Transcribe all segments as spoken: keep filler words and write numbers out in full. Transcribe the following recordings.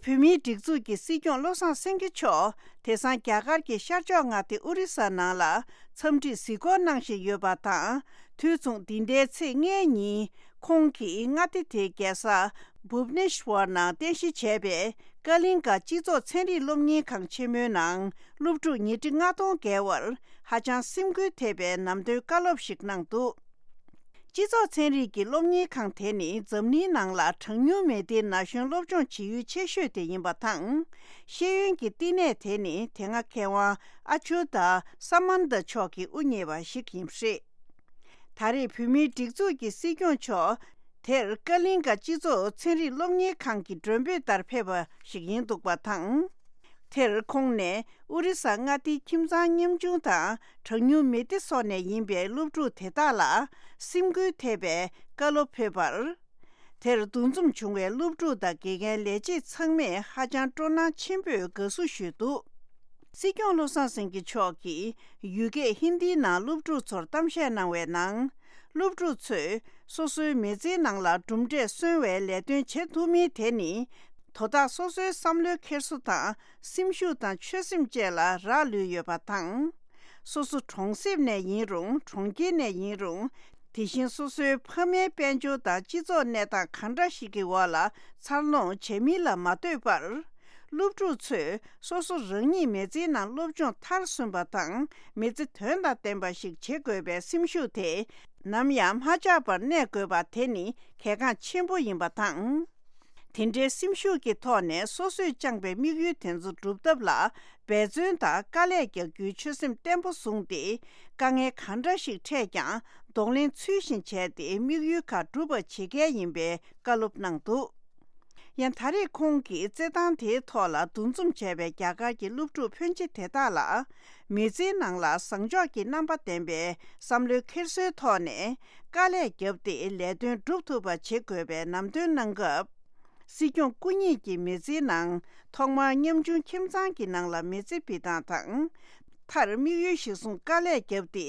བོད་མིའི་སྒྲིག་འཛུགས་ཀྱི་སྲིད་སྐྱོང་བློ་བཟང་སེང་གེ་མཆོག་དེང་སང་རྒྱ་གར་གྱི་ཤར་ཕྱོགས་མངའ་སྡེ་ཨོ་རི་ས་ནང་ལ་འཚམས་འདྲིར་གཟིགས་སྐོར་གནང་བཞིན་ཡོད་པ་དང་། དུས་མཚུངས་འདི་ཟླའི་ཚེས་ལྔའི་ཉིན་ཁོང་གིས་མངའ་སྡེ་དེའི་རྒྱལ་ས་བྷུབ་ནེ་ཤ་ཝར་ནང་རྟེན་གཞི་བྱས་པའི་ཀ་ལིང་ག་སྤྱི་ཚོགས་ཚན་རིག་སློབ་གཉེར་ཁང་ཆེན་མོའི་ནང་སློབ་ཕྲུག་ཉིས་ཁྲི་ལྔ་སྟོང་བརྒལ་བར་ཧ་ཅང་སེམས་འགུལ་ཐེབས་པའི་ནམ་དོན་བཀའ་སློབ་ཞིག་གནང་འདུག་སྤྱི་ཚོགས་ཚན་རིག་གི་སློབ་གཉེར་ཁང་དེ་ནི་འཛམ་གླིང་ནང་ལ་གྲངས་ཉུང་མི་སྡེའི་ན་གཞོན་སློབ་སྦྱོང་བྱེད་ཡུལ་ཆེ་ཤོས་དེ་ཡིན་པ་དང་། ཤེས་ཡོན་གྱི་བསྟི་གནས་དེ་ནི་དེ་སྔ་མཁས་དབང་ཨ་ཆུ་ད་ས་མན་ད་མཆོག་གིས་དབུ་བརྙེས་པ་ཞིག་ཡིན་པ་རེད། ད་རེས་བོད་མིའི་སྒྲིག་འཛུགས་ཀྱི་སྲིད་སྐྱོང་མཆོག་དེར་ཀ་ལིང་ག་སྤྱི་ཚོགས་ཚན་རིག་སློབ་གཉེར་ཁང་གི་མགྲོན་འབོད་ལྟར་ཕེབས་པ་ཞིག་ཡིན་འདུག་པ་དང་། དེར་ཁོང་ནས་ཨོ་རི་ས་མངའ་སྡེའི་ཁྱིམ་ཚང་ཉམ་ཆུང་དང་གྲངས་ཉུང་མི་སྡེ་སོགས་ནས་ཡིན་པའི་སློབ་ཕྲུག་དེ་དག་ལ་སེམས་འགུལ་ཐེབས་པའི་བཀའ་སློབ་ཕེབས་པར། དེར་འདུ་འཛོམས་བྱུང་བའི་སློབ་ཕྲུག་དང་དགེ་རྒན་ལས་བྱེད་ཚང་མས་ཧ་ཅང་སྤྲོ་སྣང་ཆེན་པོས་དགའ་བསུ་ཞུས་འདུག་སྲིད་སྐྱོང་བློ་བཟང་སེང་གེ་མཆོག་གིས་ཡུལ་སྐད་ཧིན་དིའི་ནང་སློབ་ཕྲུག་ཚོར་གཏམ་བཤད་གནང་བའི་ནང་། སློབ་ཕྲུག་ཚོས་སོ་སོའི་མི་ཚེའི་ནང་ལ་གྲུབ་འབྲས་སོན་པའི་ལས་དོན་བྱེད་ཐུབ་མིན་དེ་ནི། དོ་བདག་སོ་སོའི་བསམ་བློའི་འཁྱེར་སོ་དང་སེམས་ཤུགས་དང་ཆོད་སེམས་བཅས་ལ་རག་ལུས་ཡོད་པ་དང་། སོ་སོ་གྲོང་གསེབ་ནས་ཡིན་རུང་གྲོང་ཁྱེར་ནས་ཡིན་རུང་། དེ་བཞིན་སོ་སོའི་ཕ་མའི་དཔལ་འབྱོར་དང་སྤྱི་ཚོགས་གནས་སྟངས་གང་འདྲ་ཞིག་གི་འོག་ལ་འཚར་ལོངས་བྱེད་མིན་ལ་མ་ལྟོས་པར། སློབ་ཕྲུག་ཚོས་སོ་སོ་རང་ཉིད་མི་ཚེའི་ནང་སློབ་སྦྱོང་མཐར་སོན་པ་དང་མི་ཚེ་དོན་དང་ལྡན་པ་ཞིག་བྱེད་དགོས་པའི་སེམས་ཤུགས་དེ་ནམ་ཡང་མ་ཆག་པར་གནས་དགོས་པ་དེ་ནི་གལ་འགངས་ཆེན་པོ་ཡིན་པ་དང་། དེ་འདྲའི་སེམས་ཤུགས་ཀྱི་ཐོག་ནས་སོ་སོས་བཅངས་པའི་དམིགས་ཡུལ་དེ་ཚོ་འགྲུབ་ཐབས་ལ་འབད་བརྩོན་དང་དཀའ་ལས་རྒྱག་རྒྱུའི་ཆོད་སེམས་བརྟན་པོ་བཟུང་སྟེ། དཀའ་ངལ་གང་འདྲ་ཞིག་འཕྲད་ཀྱང་གདོང་ལེན་ཚུལ་བཞིན་བྱས་ཏེ་དམིགས་ཡུལ་ཁག་འགྲུབ་པ་བྱེད་གལ་ཡིན་པའི་བཀའ་སློབ་གནང་འདུག་ཡང་ད་རེས་ཁོང་གིས་རྩེད་ཐང་དེའི་ཐོག་ལ་འདུ་འཛོམས་བྱས་པའི་རྒྱ་གར་གྱི་སློབ་ཕྲུག་ཕོན་ཆེ་དེ་དག་ལ། མི་ཚེའི་ནང་ལ་བཟང་ཕྱོགས་ཀྱི་རྣམ་པ་ལྡན་པའི་བསམ་བློའི་འཁྱེར་སོའི་ཐོག་ནས་དཀའ་ལས་བརྒྱབ་སྟེ་ལས་དོན་སྒྲུབ་ཐུབ་པ་བྱེད་དགོས་པའི་ལམ་སྟོན་གནང་སྐབས། སྲིད་སྐྱོང་སྐུ་ཉིད་ཀྱི་མི་ཚེའི་ནང་ཐོག་མར་ཉམ་ཆུང་ཁྱིམ་ཚང་གི་ནང་ལ་མི་ཚེ་འབད་སྟངས་དང་། མཐར་དམིགས་ཡུལ་གཞིར་བཟུང་དཀའ་ལས་བརྒྱབ་སྟེ།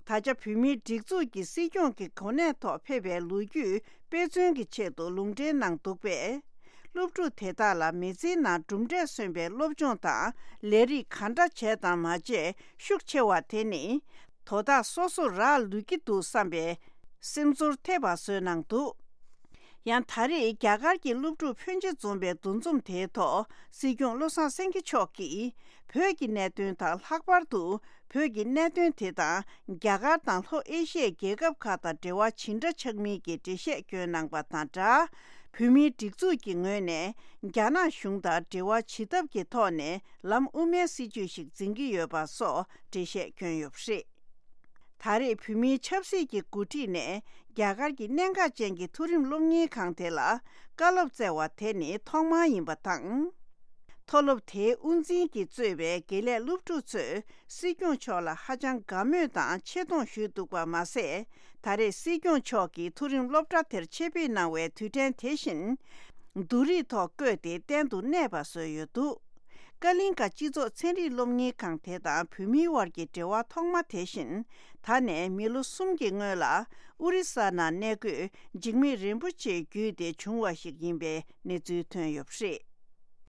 ད་ཆ་བོད་མིའི་སྒྲིག་འཛུགས་ཀྱི་སྲིད་སྐྱོང་གི་གོ་གནས་ཐོག་ཕེབས་པའི་ལོ་རྒྱུས་དཔེ་མཚོན་གྱི་ཆེད་དུ་ལུང་འདྲེན་གནང་འདུག་པས། སློབ་ཕྲུག་དེ་དག་ལ་མི་ཚེའི་ནང་གྲུབ་འབྲས་སོན་པའི་སློབ་སྦྱོང་དང་ལས་རིགས་གང་འདྲ་བྱས་དང་མ་བྱས་ཤུགས་ཆེ་བ་དེ་ནི། དོ་བདག་སོ་སོར་རག་ལུས་ཀྱི་འདུག་བསམ་པའི་སེམས་ཚོར་ཐེབས་པ་བཟོས་གནང་འདུག་ཡང་ད་རེས་རྒྱ་གར་གྱི་སློབ་ཕྲུག་ཕོན་ཆེ་འཛོམས་པའི་འདུ་འཛོམས་དེའི་ཐོག་སྲིད་སྐྱོང་བློ་བཟང་སེང་གེ་མཆོག་གིས་བོད་ཀྱི་གནད་དོན་དང་ལྷག་པར་དུ་བོད་ཀྱི་གནད་དོན་དེ་དང་རྒྱ་གར་དང་ལྷོ་ཨེ་ཤི་ཡའི་རྒྱལ་ཁབ་ཁག་དང་འབྲེལ་བ་ཇི་འདྲ་ཆགས་མིན་གྱི་འགྲེལ་བཤད་བསྐྱོན་གནང་པ་དང་སྦྲགས། བོད་མིའི་སྒྲིག་འཛུགས་ཀྱི་ངོས་ནས་རྒྱ་ནག་གཞུང་དང་འབྲེལ་བ་བྱེད་ཐབས་ཀྱི་ཐོག་ནས་ལམ་དབུ་མའི་སྲིད་བྱུས་ཤིག་འཛིན་གྱི་ཡོད་པ་སོགས་འགྲེལ་བཤད་བསྐྱོན་ཡོད་པ་རེད། ད་རེས་བོད་མིའི་ཆབ་སྲིད་ཀྱི་འགོ་ཁྲིད་ནས་རྒྱ་གར་གྱི་གནད་འགག་ཅན་གྱི་མཐོ་རིམ་སློབ་གཉེར་ཁང་དེ་ལ་བཀའ་སློབ་སྩལ་བ་དེ་ནི་ཐོག་མ་ཡིན་པ་དང་། མཐོ་སློབ་དེའི་དབུ་འཛིན་གྱིས་གཙོས་པའི་དགེ་ལས་སློབ་ཕྲུག་ཚོས་སྲིད་སྐྱོང་མཆོག་ལ་ཧ་ཅང་དགའ་མོས་དང་ཆེ་མཐོང་ཞུས་འདུག་པ་མ་ཟད། ད་རེས་སྲིད་སྐྱོང་མཆོག་གིས་མཐོ་རིམ་སློབ་གྲྭ་དེར་ཆེད་ཕེབས་གནང་བའི་དུས་དྲན་དེ་བཞིན། བསྡུ་རིས་ཐོག་བཀོད་དེ་གཏན་དུ་གནས་པ་བཟོས་ཡོད་འདུག་ཀ་ལིང་ཀ་སྤྱི་ཚོགས་ཚན་རིག་སློབ་གཉེར་ཁང་དེ་དང་བོད་མིའི་དབར་གྱི་འབྲེལ་བ་ཐོག་མ་དེ་བཞིན། ད་ནས་མི་ལོ་གསུམ་གྱི་སྔོན་ལ་ཨོ་རི་ས་ནང་གནས་འཁོད་འཇིགས་མེད་རིན་པོ་ཆེ་བརྒྱུད་དེ་བྱུང་བ་ཞིག་ཡིན་པའི་གནས་ཚུལ་ཐོན་ཡོད་པ་རེད།